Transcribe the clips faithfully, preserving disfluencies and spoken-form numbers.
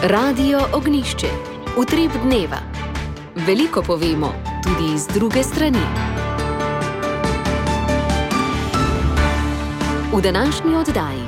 Radio Ognišče, utrip dneva. Veliko povemo, tudi iz druge strani. V današnji oddaji.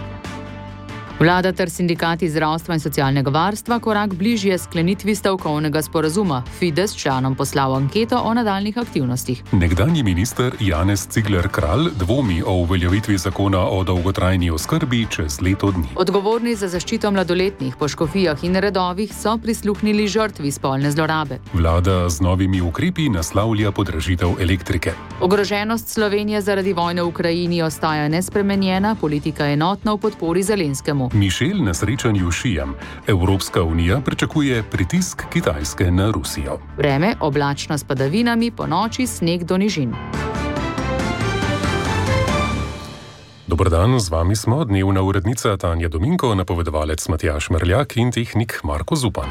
Vlada ter sindikati zdravstva in socialnega varstva korak bližje sklenitvi stavkovnega sporazuma. Fides članom poslal anketo o nadaljnih aktivnostih. Nekdanji minister Janez Cigler Kralj dvomi o uveljavitvi zakona o dolgotrajni oskrbi čez leto dni. Odgovorni za zaščito mladoletnih po škofijah in redovih so prisluhnili žrtvi spolne zlorabe. Vlada z novimi ukrepi naslavlja podražitev elektrike. Ogroženost Slovenije zaradi vojne v Ukrajini ostaja nespremenjena, politika enotna v podpori Zelenskemu. Mišel na srečanju šijem. Evropska unija pričakuje pritisk Kitajske na Rusijo. Vreme oblačno s padavinami, po noči sneg do nižin. Dober dan, z vami smo dnevna urednica Tanja Dominko, napovedovalec Matjaž Merljak in tehnik Marko Zupan.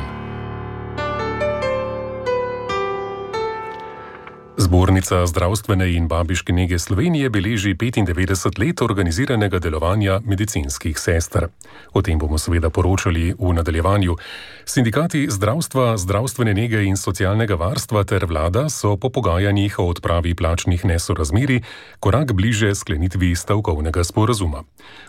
Zbornica zdravstvene in babiške nege Slovenije beleži petindevetdeset let organiziranega delovanja medicinskih sester. O tem bomo seveda poročali v nadaljevanju. Sindikati zdravstva, zdravstvene nege in socialnega varstva ter vlada so po pogajanjih o odpravi plačnih nesorazmerij korak bliže sklenitvi stavkovnega sporazuma.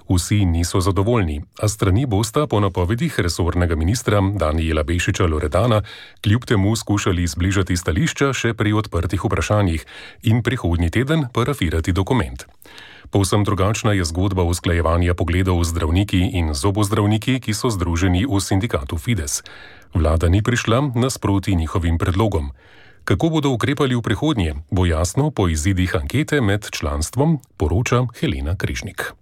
Vsi niso zadovoljni, a strani bosta po napovedih resornega ministra Danijela Bešiča Loredana kljub temu skušali zbližati stališča še pri odprtih vprašanjih in prihodnji teden parafirati dokument. Povsem drugačna je zgodba usklajevanja pogledov zdravniki in zobozdravniki, ki so združeni v sindikatu Fides. Vlada ni prišla nasproti njihovim predlogom. Kako bodo ukrepali v prihodnje, bo jasno po izidih ankete med članstvom, poroča Helena Križnik.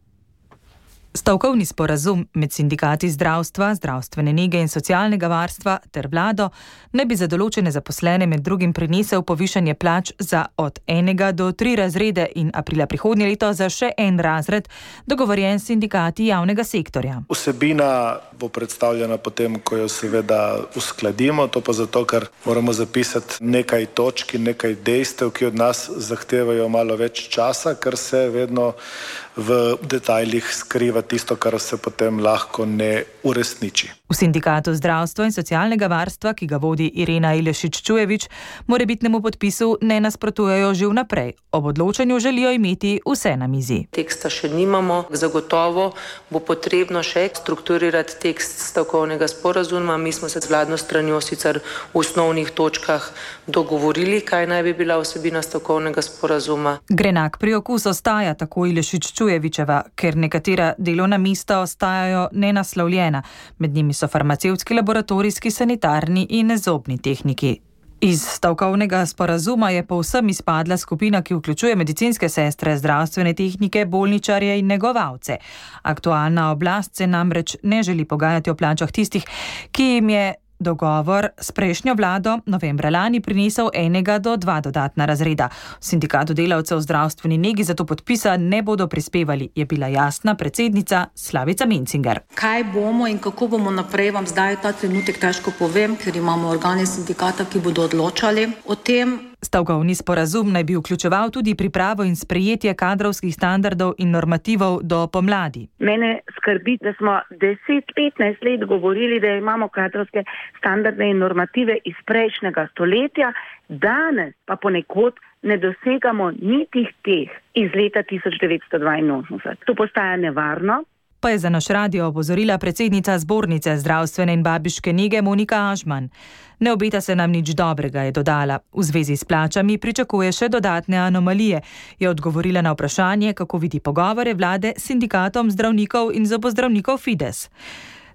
Stavkovni sporazum med sindikati zdravstva, zdravstvene nege in socialnega varstva ter vlado ne bi za določene zaposlene med drugim prinesel povišanje plač za od enega do tri razrede in aprila prihodnje leto za še en razred, dogovorjen s sindikati javnega sektorja. Vsebina bo predstavljena potem, ko jo seveda uskladimo, to pa zato, ker moramo zapisati nekaj točk in nekaj dejstev, ki od nas zahtevajo malo več časa, ker se vedno v detajlih skriva tisto, kar se potem lahko ne uresniči. V sindikatu zdravstva in socialnega varstva, ki ga vodi Irena Ilešič-Čujevič, morebitnemu podpisu ne nasprotujejo že vnaprej. Ob odločanju želijo imeti vse na mizi. Teksta še nimamo, zagotovo bo potrebno še strukturirati tekst stavkovnega sporazuma. Mi smo se z vladno stranjo sicer v osnovnih točkah dogovorili, kaj naj bi bila vsebina stavkovnega sporazuma. Grenak priokus ostaja, tako Ilešič-Čujevičeva, ker nekatera delovna mesta ostajajo nenaslovljena. Med njimi so farmacevtski, laboratorijski, sanitarni in zobni tehniki. Iz stavkovnega sporazuma je povsem izpadla skupina, ki vključuje medicinske sestre, zdravstvene tehnike, bolničarje in negovalce. Aktualna oblast se namreč ne želi pogajati o plačah tistih, ki jim je dogovor s prejšnjo vlado novembra lani prinesel enega do dva dodatna razreda. V sindikatu delavcev v zdravstveni negi zato podpisa ne bodo prispevali, je bila jasna predsednica Slavica Mencinger. Kaj bomo in kako bomo naprej, vam zdaj ta trenutek težko povem, ker imamo organe sindikata, ki bodo odločali o tem. Stavkovni sporazum naj bi vključeval tudi pripravo in sprejetje kadrovskih standardov in normativov do pomladi. Mene skrbi, da smo deset petnajst let govorili, da imamo kadrovske standarde in normative iz prejšnjega stoletja, danes pa ponekod ne dosegamo niti teh iz leta tisoč devetsto dvainosemdeset. To postaja nevarno. Pa je za naš radio opozorila predsednica zbornice zdravstvene in babiške nege Monika Ažman. Ne obeta se nam nič dobrega, je dodala. V zvezi s plačami pričakuje še dodatne anomalije. Je odgovorila na vprašanje, kako vidi pogovore vlade s sindikatom zdravnikov in zobozdravnikov Fides.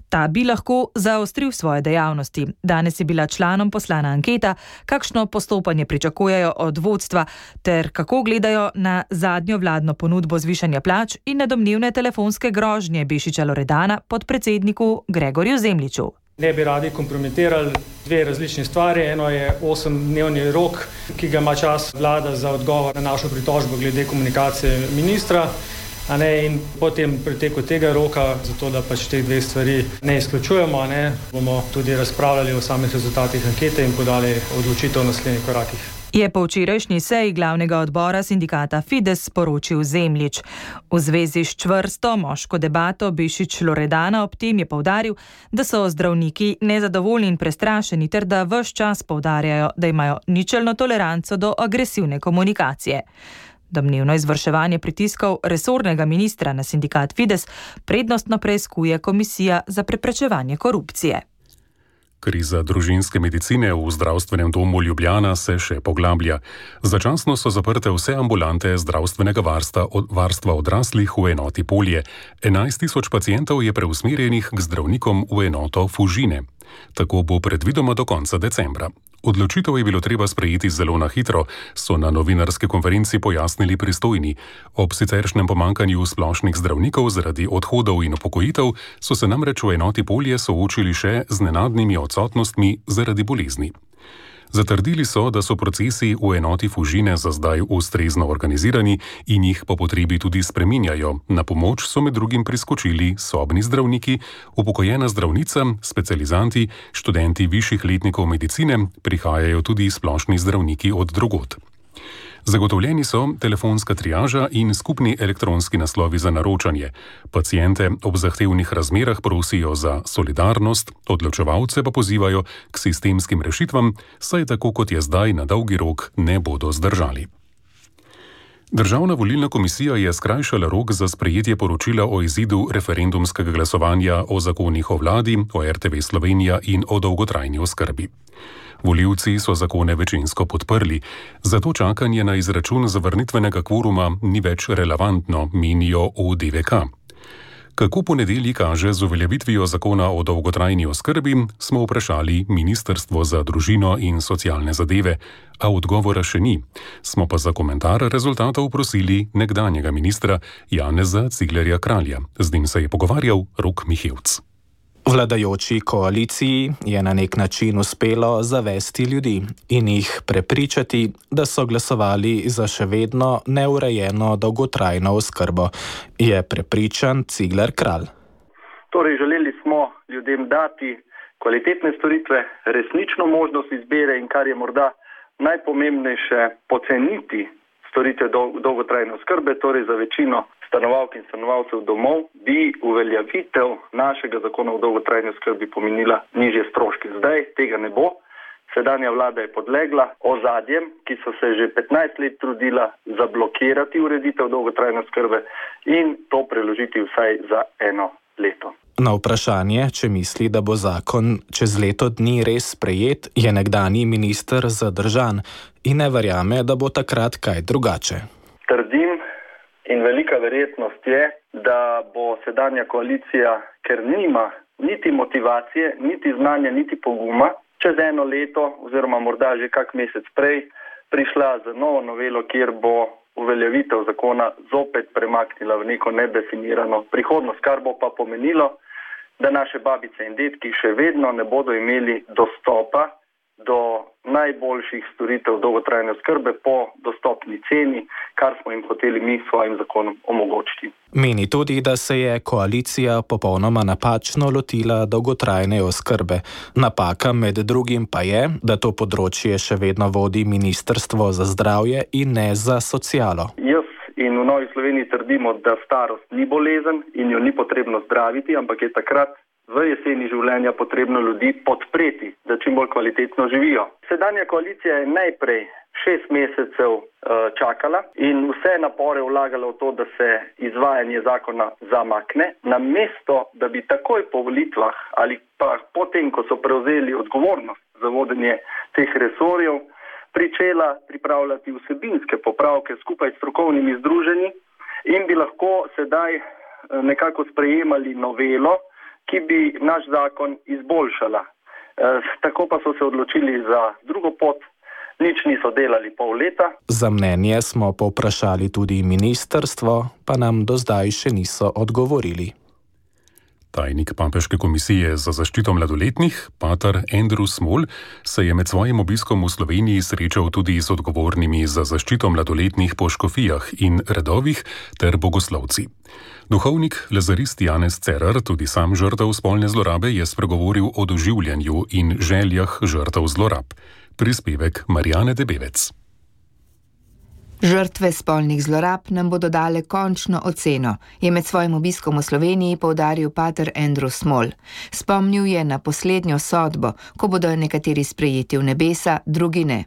Ta bi lahko zaostril svoje dejavnosti. Danes je bila članom poslana anketa, kakšno postopanje pričakujejo od vodstva ter kako gledajo na zadnjo vladno ponudbo zvišanja plač in na domnevne telefonske grožnje Bešiča Loredana podpredsedniku Gregorju Zemljiču. Ne bi radi kompromitirali dve različni stvari. Eno je osemdnevni rok, ki ga ima čas vlada za odgovor na našo pritožbo glede komunikacije ministra. A ne, in potem preteku tega roka, zato da pač te dve stvari ne izključujemo, ne, bomo tudi razpravljali o samih rezultatih ankete in podali odločitev o naslednjih korakih. je po včerajšnji seji glavnega odbora sindikata Fides sporočil Zemljič. V zvezi s čvrsto moško debato Bešič Loredana ob tem je poudaril, da so zdravniki nezadovoljni in prestrašeni ter da ves čas poudarjajo, da imajo ničelno toleranco do agresivne komunikacije. Domnevno izvrševanje pritiskov resornega ministra na sindikat Fides prednostno preiskuje Komisija za preprečevanje korupcije. Kriza družinske medicine v zdravstvenem domu Ljubljana se še poglablja. Začasno so zaprte vse ambulante zdravstvenega varstva, od, varstva odraslih v enoti Polje. enajst tisoč pacientov je preusmerjenih k zdravnikom v enoto Fužine. Tako bo predvidoma do konca decembra. Odločitev je bilo treba sprejeti zelo na hitro, so na novinarski konferenci pojasnili pristojni. Ob siceršnjem pomankanju splošnih zdravnikov zaradi odhodov in upokojitev so se namreč v enoti Polje soočili še z nenadnimi odsotnostmi zaradi bolezni. Zatrdili so, da so procesi v enoti Fužine za zdaj ustrezno organizirani in jih po potrebi tudi spreminjajo. Na pomoč so med drugim priskočili sobni zdravniki, upokojena zdravnica, specializanti, študenti višjih letnikov medicine, prihajajo tudi splošni zdravniki od drugod. Zagotovljeni so telefonska triaža in skupni elektronski naslovi za naročanje. Paciente ob zahtevnih razmerah prosijo za solidarnost, odločevalce pa pozivajo k sistemskim rešitvam, saj tako kot je zdaj na dolgi rok ne bodo zdržali. Državna volilna komisija je skrajšala rok za sprejetje poročila o izidu referendumskega glasovanja o zakonih o vladi, o er te ve Slovenija in o dolgotrajni oskrbi. Volivci so zakone večinsko podprli, zato čakanje na izračun zavrnitvenega kvoruma ni več relevantno, menijo v de ve ka. Kako po nedelji kaže z uveljavitvijo zakona o dolgotrajni oskrbi, smo vprašali Ministrstvo za družino in socialne zadeve, a odgovora še ni. Smo pa za komentar rezultatov prosili nekdanjega ministra Janeza Ciglerja Kralja. Z njim se je pogovarjal Rok Mihevc. Vladajoči koaliciji je na nek način uspelo zavesti ljudi in jih prepričati, da so glasovali za še vedno neurejeno dolgotrajno oskrbo, je prepričan Cigler Kralj. Torej, želeli smo ljudem dati kvalitetne storitve, resnično možnost izbire in kar je morda najpomembnejše, poceniti storitve dolgotrajne oskrbe, torej za večino stanovalk in stanovalcev domov, bi uveljavitev našega zakona o dolgotrajni oskrbi pomenila nižje stroške. Zdaj tega ne bo. Sedanja vlada je podlegla ozadjem, ki so se že petnajst let trudila zablokirati ureditev dolgotrajne oskrbe in to preložiti vsaj za eno leto. Na vprašanje, če misli, da bo zakon čez leto dni res sprejet, je nekdanji minister zadržan in ne verjame, da bo takrat kaj drugače. Trdim in velika verjetnost je, da bo sedanja koalicija, ker nima niti motivacije, niti znanja, niti poguma, čez eno leto oziroma morda že kak mesec prej prišla z novo novelo, kjer bo uveljavitev zakona zopet premaknila v neko nedefinirano prihodnost, kar bo pa pomenilo, da naše babice in dedki še vedno ne bodo imeli dostopa do najboljših storitev dolgotrajne oskrbe po dostopni ceni, kar smo jim hoteli mi s svojim zakonom omogočiti. Meni tudi, da se je koalicija popolnoma napačno lotila dolgotrajne oskrbe. Napaka med drugim pa je, da to področje še vedno vodi Ministrstvo za zdravje in ne za socialo. Jaz in v Novi Sloveniji trdimo, da starost ni bolezen in jo ni potrebno zdraviti, ampak je takrat v jeseni življenja potrebno ljudi podpreti, da čim bolj kvalitetno živijo. Sedanja koalicija je najprej šest mesecev uh, čakala in vse napore vlagala v to, da se izvajanje zakona zamakne, namesto da bi takoj po volitvah ali pa potem, ko so prevzeli odgovornost za vodenje teh resorjev, pričela pripravljati vsebinske popravke skupaj s strokovnimi združenji in bi lahko sedaj uh, nekako sprejemali novelo, ki bi naš zakon izboljšala. E, tako pa so se odločili za drugo pot, nič niso delali pol leta. Za mnenje smo povprašali tudi ministrstvo, pa nam do zdaj še niso odgovorili. Tajnik Papeške komisije za zaščito mladoletnih, pater Andrew Small, se je med svojim obiskom v Sloveniji srečal tudi z odgovornimi za zaščito mladoletnih po škofijah in redovih ter bogoslovci. Duhovnik lazarist Janez Cerar, tudi sam žrtev spolne zlorabe, je spregovoril o doživljanju in željah žrtev zlorab. Prispevek Marijane Debevec. Žrtve spolnih zlorab nam bodo dale končno oceno, je med svojim obiskom v Sloveniji poudaril pater Andrew Small. Spomnil je na poslednjo sodbo, ko bodo nekateri sprejeti v nebesa, drugi ne.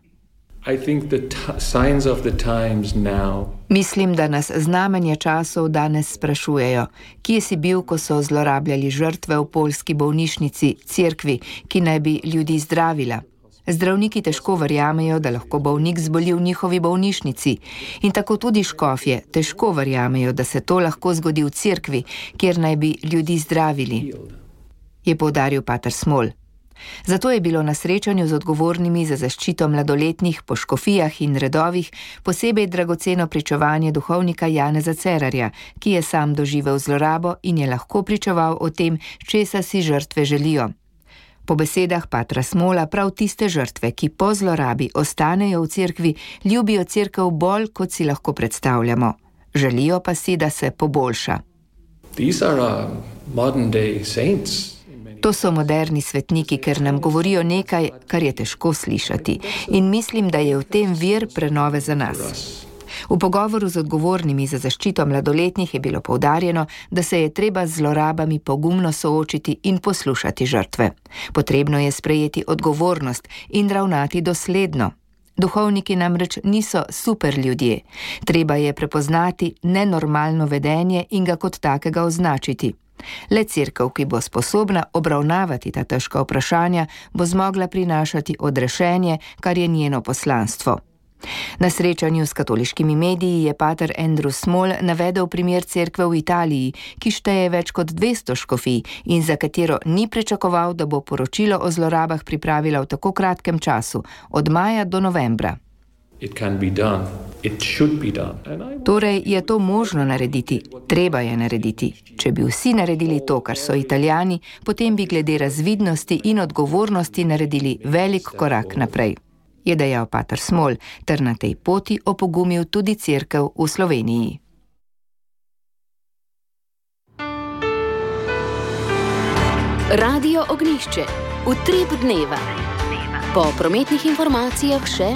I think the t- signs of the times now. Mislim, da nas znamenja časov danes sprašujejo, kje si bil, ko so zlorabljali žrtve v poljski bolnišnici, cerkvi, ki naj bi ljudi zdravila. Zdravniki težko verjamejo, da lahko bolnik zboli v njihovi bolnišnici in tako tudi škofje težko verjamejo, da se to lahko zgodi v cerkvi, kjer naj bi ljudi zdravili, je poudaril pater Small. Zato je bilo na srečanju z odgovornimi za zaščito mladoletnih po škofijah in redovih posebej dragoceno pričevanje duhovnika Janeza Cerarja, ki je sam doživel zlorabo in je lahko pričeval o tem, česa si žrtve želijo. Po besedah patra Smola prav tiste žrtve, ki po zlorabi ostanejo v cerkvi, ljubijo cerkev bolj, kot si lahko predstavljamo. Želijo pa si, da se poboljša. These are uh, modern day saints. To so moderni svetniki, ker nam govorijo nekaj, kar je težko slišati. In mislim, da je v tem vir prenove za nas. V pogovoru z odgovornimi za zaščito mladoletnih je bilo poudarjeno, da se je treba z zlorabami pogumno soočiti in poslušati žrtve. Potrebno je sprejeti odgovornost in ravnati dosledno. Duhovniki namreč niso super ljudje. Treba je prepoznati nenormalno vedenje in ga kot takega označiti. Le cerkev, ki bo sposobna obravnavati ta težka vprašanja, bo zmogla prinašati odrešenje, kar je njeno poslanstvo. Na srečanju s katoliškimi mediji je pater Andrew Small navedel primer cerkve v Italiji, ki šteje več kot dvesto škofij in za katero ni pričakoval, da bo poročilo o zlorabah pripravila v tako kratkem času, od maja do novembra. It can be done. It should be done. Torej je to možno narediti, treba je narediti. Če bi vsi naredili to, kar so Italijani, potem bi glede razvidnosti in odgovornosti naredili velik korak naprej, je dejal pater Small, ter na tej poti opogumil tudi cerkev v Sloveniji. Radio Ognjišče, utrip dneva. Po prometnih informacijah še...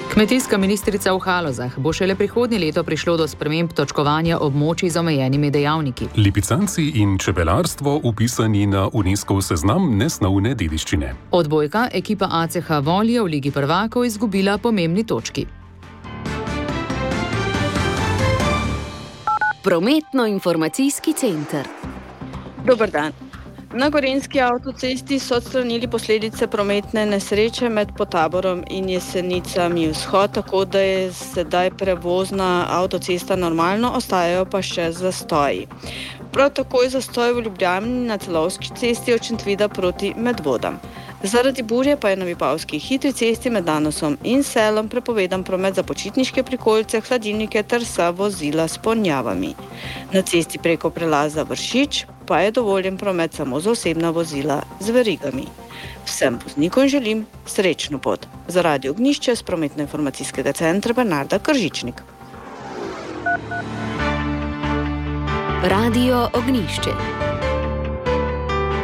Kmetijska ministrica v Halozah, bo šele prihodnje leto prišlo do sprememb točkovanja območij z omejenimi dejavniki. Lipicanci in čebelarstvo upisani na UNESCOV seznam nesnovne dediščine. Odbojka ekipa A C H Volje v Ligi prvakov izgubila pomembni točki. Prometno-informacijski center. Dober dan. Na Gorenjski avtocesti so odstranili posledice prometne nesreče med Potaborom in Jesenicami vzhod, tako da je sedaj prevozna avtocesta normalno, ostajajo pa še zastoji. Prav tako je zastoj v Ljubljani na Celovški cesti od Šentvida proti Medvodam. Zaradi burje pa je na Vipavski hitri cesti med Danosom in Selom prepovedan promet za počitniške prikolice, hladilnike ter vsa vozila s ponjavami. Na cesti preko prelaza Vršič pa je dovoljen promet samo za osebna vozila z verigami. Vsem voznikom želim srečno pot. Za Radio Ognjišče z prometno-informacijskega centra Bernarda Kržičnik. Radio Ognjišče.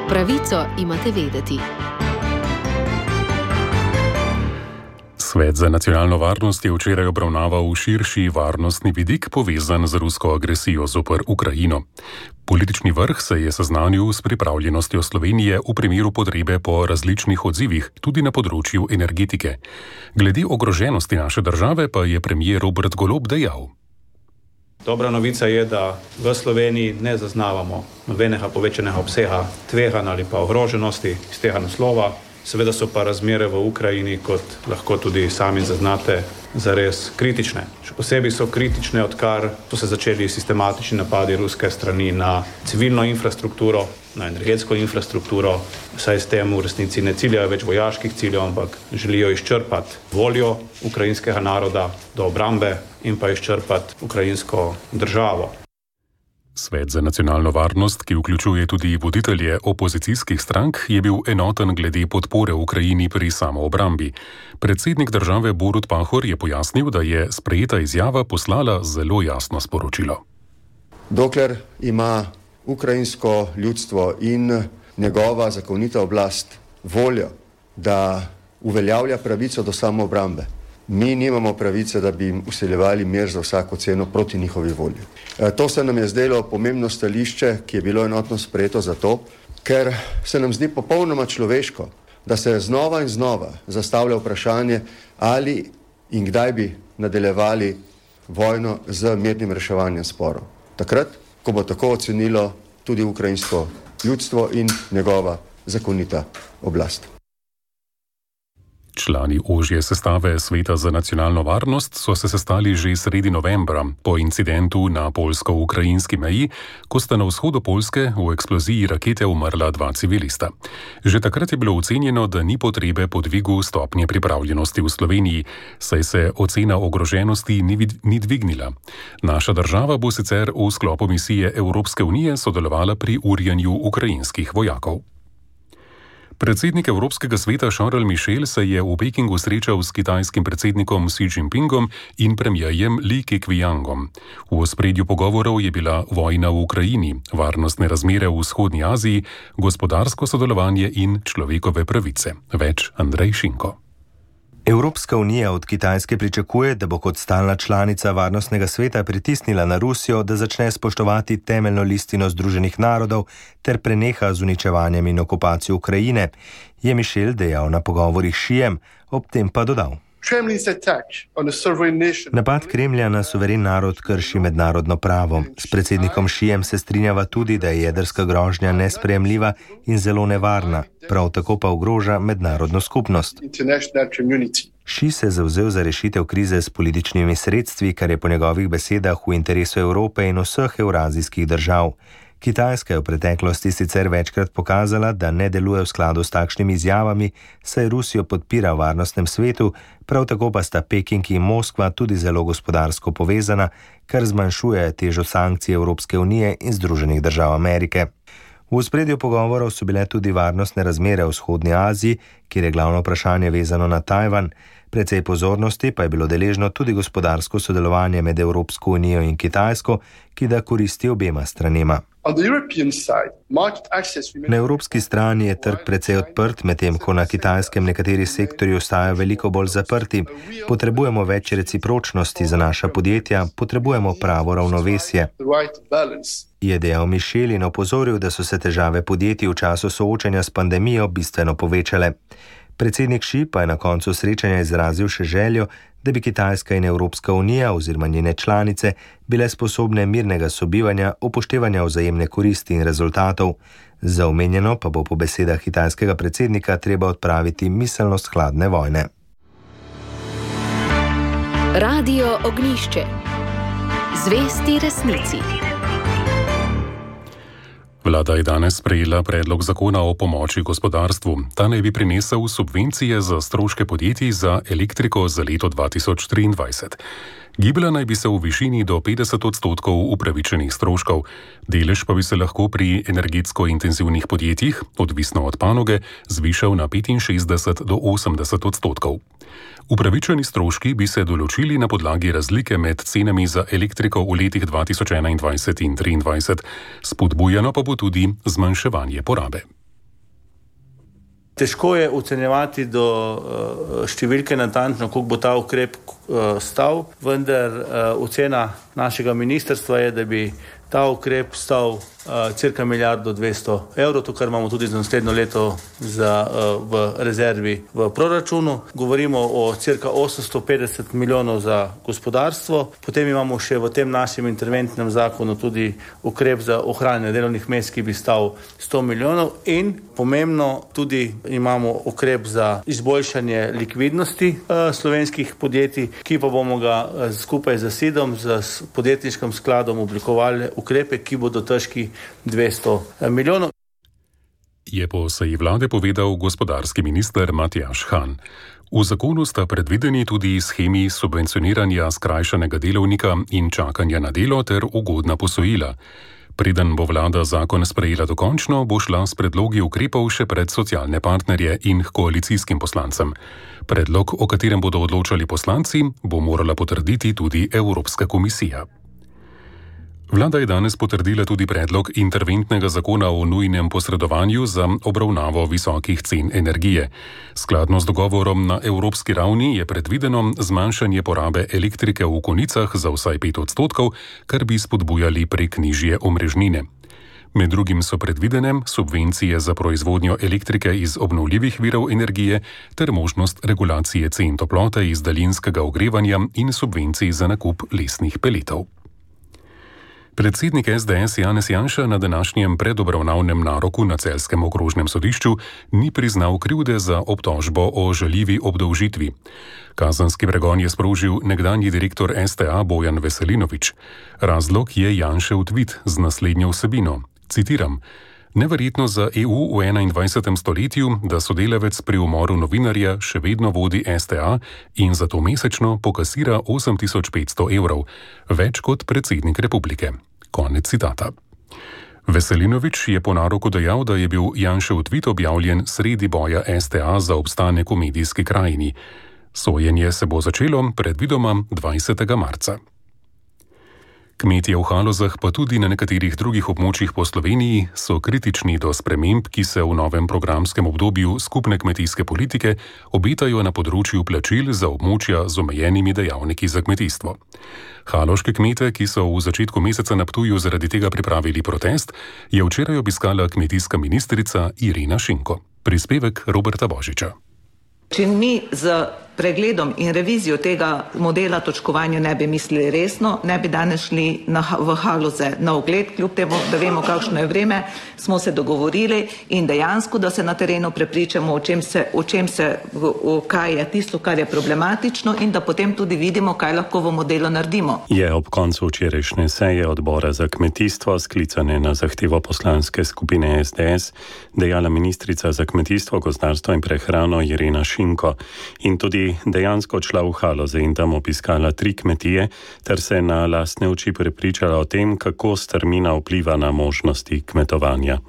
Pravico imate vedeti. Svet za nacionalno varnost je včeraj obravnaval širši varnostni vidik povezan z rusko agresijo zoper Ukrajino. Politični vrh se je seznanil s pripravljenostjo Slovenije v primeru potrebe po različnih odzivih, tudi na področju energetike. Glede ogroženosti naše države pa je premier Robert Golob dejal. Dobra novica je, da v Sloveniji ne zaznavamo nobenega povečanega obsega tveganj ali pa ogroženosti iz tega naslova. Seveda so pa razmere v Ukrajini, kot lahko tudi sami zaznate, zares kritične. Še posebej so kritične, odkar so se začeli sistematični napadi ruske strani na civilno infrastrukturo, na energetsko infrastrukturo, saj s tem v resnici ne ciljajo več vojaških ciljev, ampak želijo izčrpati voljo ukrajinskega naroda do obrambe in pa izčrpati ukrajinsko državo. Svet za nacionalno varnost, ki vključuje tudi voditelje opozicijskih strank, je bil enoten glede podpore Ukrajini pri samoobrambi. Predsednik države Borut Pahor je pojasnil, da je sprejeta izjava poslala zelo jasno sporočilo. Dokler ima ukrajinsko ljudstvo in njegova zakonita oblast voljo, da uveljavlja pravico do samoobrambe, mi nimamo pravice, da bi jim usiljevali mir za vsako ceno proti njihovi volji. To se nam je zdelo pomembno stališče, ki je bilo enotno sprejeto zato, ker se nam zdi popolnoma človeško, da se znova in znova zastavlja vprašanje, ali in kdaj bi nadaljevali vojno z mirnim reševanjem sporov. Takrat, ko bo tako ocenilo tudi ukrajinsko ljudstvo in njegova zakonita oblast. Člani ožje sestave Sveta za nacionalno varnost so se sestali že sredi novembra po incidentu na poljsko-ukrajinski meji, ko sta na vzhodu Poljske v eksploziji rakete umrla dva civilista. Že takrat je bilo ocenjeno, da ni potrebe po dvigu stopnje pripravljenosti v Sloveniji, saj se ocena ogroženosti ni, vid- ni dvignila. Naša država bo sicer v sklopu misije Evropske unije sodelovala pri urjenju ukrajinskih vojakov. Predsednik Evropskega sveta Charles Michel se je v Pekingu srečal s kitajskim predsednikom Xi Jinpingom in premierjem Li Keqiangom. V ospredju pogovorov je bila vojna v Ukrajini, varnostne razmere v vzhodni Aziji, gospodarsko sodelovanje in človekove pravice. Več Andrej Šinko. Evropska unija od Kitajske pričakuje, da bo kot stalna članica Varnostnega sveta pritisnila na Rusijo, da začne spoštovati temeljno listino Združenih narodov ter preneha z uničevanjem in okupacijo Ukrajine, je Michel dejal na pogovorih s Xijem, ob tem pa dodal. Napad Kremlja na suveren narod krši mednarodno pravo. S predsednikom Xijem se strinjava tudi, da je jedrska grožnja nesprejemljiva in zelo nevarna, prav tako pa ogroža mednarodno skupnost. Xi se je zavzel za rešitev krize s političnimi sredstvi, kar je po njegovih besedah v interesu Evrope in vseh evrazijskih držav. Kitajska je v preteklosti sicer večkrat pokazala, da ne deluje v skladu s takšnimi izjavami, saj Rusijo podpira v varnostnem svetu, prav tako pa sta Peking in Moskva tudi zelo gospodarsko povezana, kar zmanjšuje težo sankcij Evropske unije in Združenih držav Amerike. V ospredju pogovorov so bile tudi varnostne razmere v vzhodni Aziji, kjer je glavno vprašanje vezano na Tajvan. Precej pozornosti pa je bilo deležno tudi gospodarsko sodelovanje med Evropsko unijo in Kitajsko, ki da koristi obema stranema. Na evropski strani je trg precej odprt, medtem ko na kitajskem nekateri sektorji ostajajo veliko bolj zaprti. Potrebujemo več recipročnosti za naša podjetja, potrebujemo pravo ravnovesje, je dejal Michel in opozoril, da so se težave podjetij v času soočanja s pandemijo bistveno povečale. Predsednik Xi pa je na koncu srečanja izrazil še željo, da bi Kitajska in Evropska unija oziroma njene članice bile sposobne mirnega sobivanja, upoštevanja vzajemne koristi in rezultatov. Za omenjeno pa bo po besedah kitajskega predsednika treba odpraviti miselnost hladne vojne. Radio Ognjišče. Zvesti resnici. Vlada je danes sprejela predlog zakona o pomoči gospodarstvu. Ta naj bi prinesel subvencije za stroške podjetij za elektriko za leto dva tisoč triindvajset. Gibala naj bi se v višini do petdeset odstotkov upravičenih stroškov. Delež pa bi se lahko pri energetsko intenzivnih podjetjih, odvisno od panoge, zvišal na petinšestdeset do osemdeset odstotkov. Upravičeni stroški bi se določili na podlagi razlike med cenami za elektriko v letih dva tisoč enaindvajset in triindvajset, spodbujano pa bo tudi zmanjševanje porabe. Težko je ocenjevati do uh, številke natančno, koliko bo ta ukrep uh, stal, vendar uh, ocena našega ministrstva je, da bi ta ukrep stal uh, cirka milijardo dvesto evrov, to kar imamo tudi za naslednjo leto za, uh, v rezervi v proračunu. Govorimo o cirka osemsto petdeset milijonov za gospodarstvo, potem imamo še v tem našem interventnem zakonu tudi ukrep za ohranjanje delovnih mest, ki bi stal sto milijonov in pomembno tudi imamo ukrep za izboljšanje likvidnosti uh, slovenskih podjetij, ki pa bomo ga uh, skupaj z SID-om, z podjetniškim skladom oblikovali ukrepe, ki bodo težki dvesto milijonov. Je po seji vlade povedal gospodarski minister Matjaž Han. V zakonu sta predvideni tudi shemi subvencioniranja skrajšanega delovnika in čakanja na delo ter ugodna posojila. Preden bo vlada zakon sprejela dokončno, bo šla s predlogi ukrepov še pred socialne partnerje in koalicijskim poslancem. Predlog, o katerem bodo odločali poslanci, bo morala potrditi tudi Evropska komisija. Vlada je danes potrdila tudi predlog interventnega zakona o nujnem posredovanju za obravnavo visokih cen energije. Skladno z dogovorom na evropski ravni je predvideno zmanjšanje porabe elektrike v konicah za vsaj pet odstotkov, kar bi spodbujali prek nižje omrežnine. Med drugim so predvidene subvencije za proizvodnjo elektrike iz obnovljivih virov energije ter možnost regulacije cen toplote iz daljinskega ogrevanja in subvencij za nakup lesnih peletov. Predsednik es de es Janez Janša na današnjem predobravnavnem naroku na Celjskem okrožnem sodišču ni priznal krivde za obtožbo o žaljivi obdolžitvi. Kazenski pregon je sprožil nekdanji direktor es te a Bojan Veselinovič. Razlog je Janšev tvit z naslednjo vsebino. Citiram: "Neverjetno za e u v enaindvajsetem stoletju, da sodelavec pri umoru novinarja še vedno vodi es te a in zato mesečno pokasira osem tisoč petsto evrov, več kot predsednik republike." Konec citata. Veselinovič je po naroku dejal, da je bil Janšev tvit objavljen sredi boja es te a za obstanek v medijski krajini. Sojenje se bo začelo predvidoma dvajsetega marca. Kmetje v Halozah, pa tudi na nekaterih drugih območjih po Sloveniji, so kritični do sprememb, ki se v novem programskem obdobju skupne kmetijske politike obetajo na področju plačil za območja z omejenimi dejavniki za kmetijstvo. Haloške kmete, ki so v začetku meseca na Ptuju zaradi tega pripravili protest, je včeraj obiskala kmetijska ministrica Irena Šinko. Prispevek Roberta Božiča. Če mi z pregledom in revizijo tega modela točkovanja ne bi mislili resno, ne bi danes šli na, v Haloze na ogled, kljub temu, da vemo, kakšno je vreme, smo se dogovorili in dejansko, da se na terenu prepričamo, o čem se, o čem se, o kaj je tisto, kar je problematično in da potem tudi vidimo, kaj lahko v modelu naredimo. Je ob koncu včerajšnje seje odbora za kmetijstvo, sklicane na zahtevo poslanske skupine es de es, dejala ministrica za kmetijstvo, gozdarstvo in prehrano Irena Šinko in tudi dejansko odšla v Haloze in tam obiskala tri kmetije ter se na lastne oči prepričala o tem, kako strmina vpliva na možnosti kmetovanja.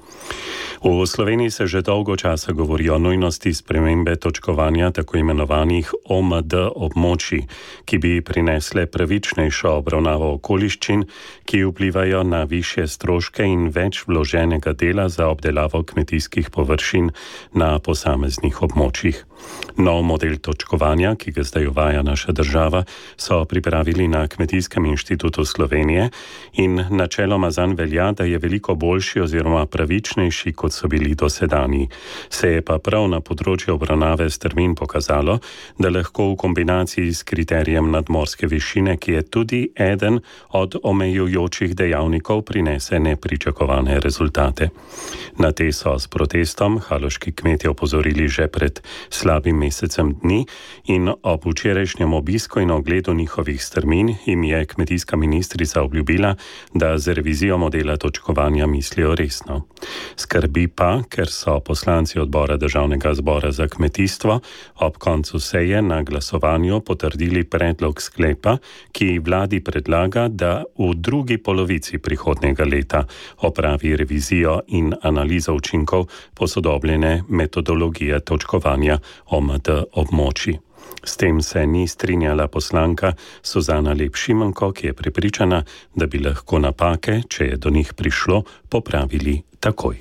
V Sloveniji se že dolgo časa govori o nujnosti spremembe točkovanja tako imenovanih o em de območij, ki bi prinesle pravičnejšo obravnavo okoliščin, ki vplivajo na višje stroške in več vloženega dela za obdelavo kmetijskih površin na posameznih območjih. Nov model točkovanja, ki ga zdaj uvaja naša država, so pripravili na Kmetijskem inštitutu Slovenije in načeloma zanj velja, da je veliko boljši oziroma pravičnejši, kot so bili dosedanji. Se je pa prav na področju obravnave strmin pokazalo, da lahko v kombinaciji s kriterijem nadmorske višine, ki je tudi eden od omejujočih dejavnikov, prinese nepričakovane rezultate. Na te so s protestom haloški kmetje opozorili že pred slabim mesecem dni in ob včerajšnjem obisku in ogledu njihovih strmin jim je kmetijska ministrica obljubila, da z revizijo modela točkovanja mislijo resno. Skrbi pa, ker so poslanci odbora Državnega zbora za kmetijstvo ob koncu seje na glasovanju potrdili predlog sklepa, ki vladi predlaga, da v drugi polovici prihodnjega leta opravi revizijo in analizo učinkov posodobljene metodologije točkovanja o em de območij. S tem se ni strinjala poslanka Suzana Lep Šimenko, ki je prepričana, da bi lahko napake, če je do njih prišlo, popravili takoj.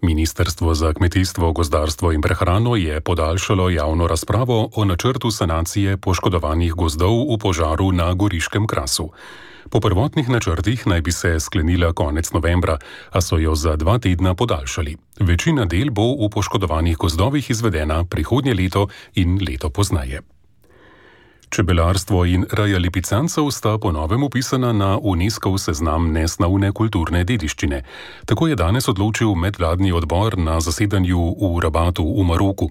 Ministrstvo za kmetijstvo, gozdarstvo in prehrano je podaljšalo javno razpravo o načrtu sanacije poškodovanih gozdov v požaru na Goriškem krasu. Po prvotnih načrtih naj bi se sklenila konec novembra, a so jo za dva tedna podaljšali. Večina del bo v poškodovanih gozdovih izvedena prihodnje leto in leto poznaje. Čebelarstvo in reja lipicancev sta po novem upisana na UNESCOV seznam nesnavne kulturne dediščine. Tako je danes odločil medvladni odbor na zasedanju v Rabatu v Maroku.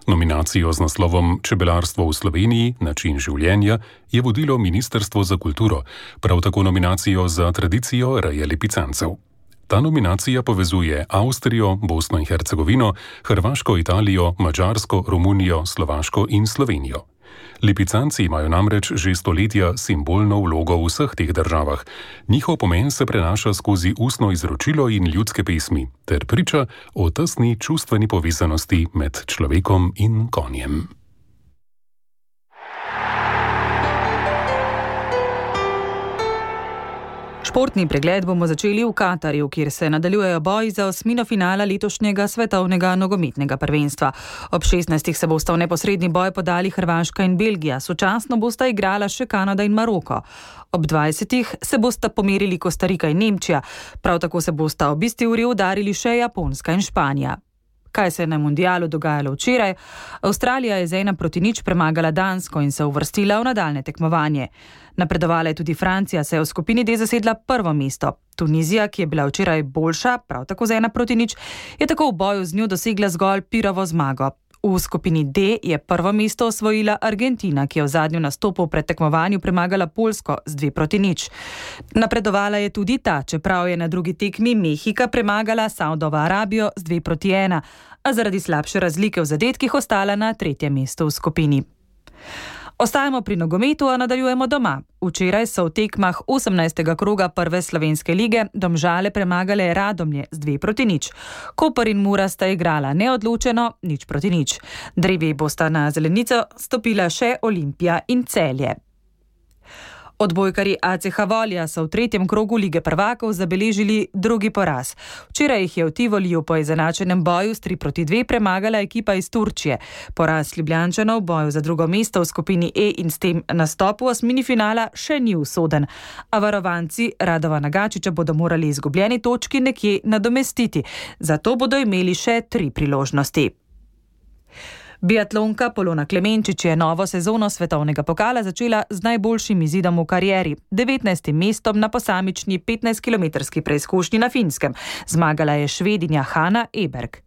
Nominacijo z naslovom Čebelarstvo v Sloveniji, način življenja je vodilo Ministrstvo za kulturo, prav tako nominacijo za tradicijo reje lipicancev. Ta nominacija povezuje Avstrijo, Bosno in Hercegovino, Hrvaško, Italijo, Madžarsko, Romunijo, Slovaško in Slovenijo. Lipicanci imajo namreč že stoletja simbolno vlogo v vseh teh državah. Njihov pomen se prenaša skozi ustno izročilo in ljudske pesmi, ter priča o tesni čustveni povezanosti med človekom in konjem. Športni pregled bomo začeli v Katarju, kjer se nadaljujejo boji za osmino finala letošnjega svetovnega nogometnega prvenstva. Ob šestnajstih se bosta v neposredni boj podali Hrvaška in Belgija, sočasno bosta igrala še Kanada in Maroko. Ob dvajsetih se bosta pomerili Kostarika in Nemčija, prav tako se bosta ob isti uri udarili še Japonska in Španija. Kaj se je na mundialu dogajalo včeraj? Avstralija je z ena proti nič premagala Dansko in se uvrstila v nadaljne tekmovanje. Napredovala je tudi Francija, se je v skupini D zasedla prvo mesto. Tunizija, ki je bila včeraj boljša, prav tako z ena proti nič, je tako v boju z njo dosegla zgolj Pirovo zmago. V skupini D je prvo mesto osvojila Argentina, ki je v zadnjem nastopu pred tekmovanju premagala Poljsko z dve proti nič. Napredovala je tudi ta, čeprav je na drugi tekmi Mehika premagala Saudovo Arabijo z dve proti ena, a zaradi slabše razlike v zadetkih ostala na tretjem mestu v skupini. Ostajamo pri nogometu, a nadaljujemo doma. Včeraj so v tekmah osemnajstega kroga prve slovenske lige Domžale premagale Radomlje z dve proti nič. Koper in Mura sta igrala neodločeno, nič proti nič. Drevi bosta na zelenico stopila še Olimpija in Celje. Odbojkarji A C H Volja so v tretjem krogu Lige prvakov zabeležili drugi poraz. Včeraj jih je v Tivoliju po izenačenem boju s tri proti dve premagala ekipa iz Turčije. Poraz Ljubljančanov v boju za drugo mesto v skupini E in s tem nastop v osmini finala še ni usoden. A varovanci Radovana Gačiča bodo morali izgubljeni točki nekje nadomestiti. Zato bodo imeli še tri priložnosti. Biatlonka Polona Klemenčič je novo sezono svetovnega pokala začela z najboljšim izidom v karieri, devetnajstim mestom na posamični petnajstkilometrski preizkušnji na Finskem. Zmagala je Švedinja Hanna Eberg.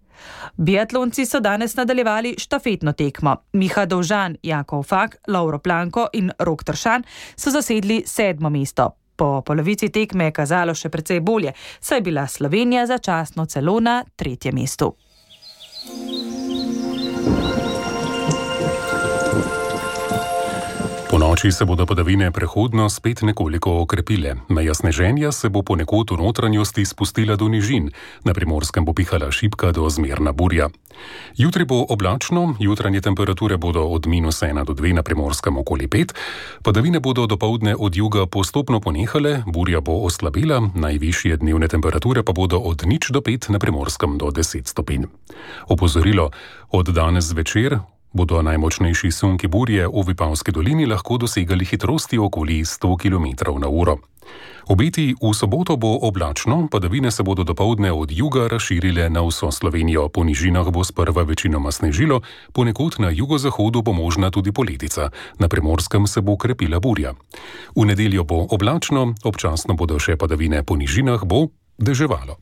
Biatlonci so danes nadaljevali štafetno tekmo. Miha Dovžan, Jakov Fak, Lovro Planko in Rok Tršan so zasedli sedmo mesto. Po polovici tekme je kazalo še precej bolje, saj je bila Slovenija začasno celo na tretjem mestu. Po noči se bodo padavine prehodno spet nekoliko okrepile. Meja sneženja se bo ponekod v notranjosti spustila do nižin. Na Primorskem bo pihala šibka do zmerna burja. Jutri bo oblačno, jutranje temperature bodo od minus ena do dve, na Primorskem okoli pet. Padavine bodo dopoldne od juga postopno ponehale, burja bo oslabila, najvišje dnevne temperature pa bodo od nič do pet, na Primorskem do deset stopinj. Opozorilo, od danes zvečer bodo najmočnejši sunki burje v Vipavski dolini lahko dosegali hitrosti okoli sto kilometrov na uro. Obeti v soboto bo oblačno, padavine se bodo dopoldne od juga razširile na vso Slovenijo. Po nižinah bo sprva večinoma snežilo, ponekod na jugozahodu bo možna tudi poledica. Na Primorskem se bo krepila burja. V nedeljo bo oblačno, občasno bodo še padavine, po nižinah bo deževalo.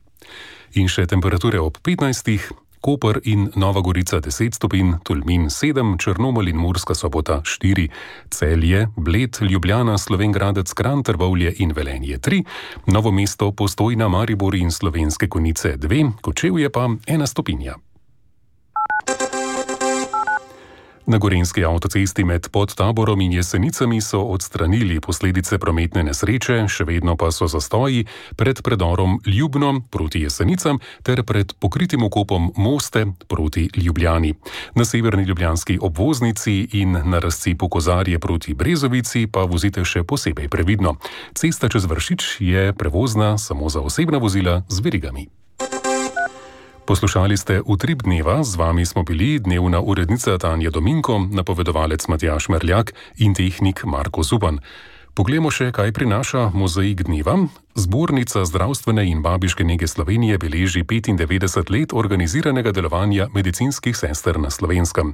In še temperature ob petnajstih. Koper in Nova Gorica deset stopinj, Tolmin sedem, Črnomelj in Murska Sobota štiri, Celje, Bled, Ljubljana, Slovenj Gradec, Kranj, Trbovlje in Velenje tri, Novo mesto, Postojna, Maribor in Slovenske Konjice dve, Kočevje pa ena stopinja. Na Gorenjski avtocesti med Podtaborom in Jesenicami so odstranili posledice prometne nesreče, še vedno pa so zastoji pred predorom Ljubno proti Jesenicam ter pred pokritim okopom Moste proti Ljubljani. Na severni ljubljanski obvoznici in na razcepu Kozarje proti Brezovici pa vozite še posebej previdno. Cesta čez Vršič je prevozna samo za osebna vozila z verigami. Poslušali ste Utrip dneva, z vami smo bili dnevna urednica Tanja Dominko, napovedovalec Matjaž Merljak in tehnik Marko Zupan. Poglejmo še, kaj prinaša mozaik dneva. Zbornica zdravstvene in babiške nege Slovenije beleži petindevetdeset let organiziranega delovanja medicinskih sester na Slovenskem.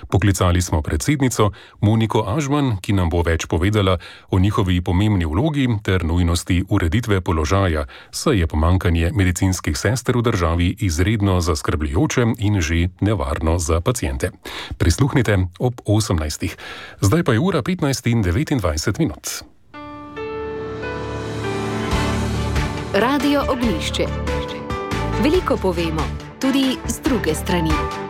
Poklicali smo predsednico Moniko Ažman, ki nam bo več povedala o njihovi pomembni vlogi ter nujnosti ureditve položaja, saj je pomanjkanje medicinskih sester v državi izredno zaskrbljujoče in že nevarno za paciente. Prisluhnite ob osemnajstih. Zdaj pa je ura petnajst in devetindvajset minut. Radio Ognjišče. Veliko povemo, tudi z druge strani.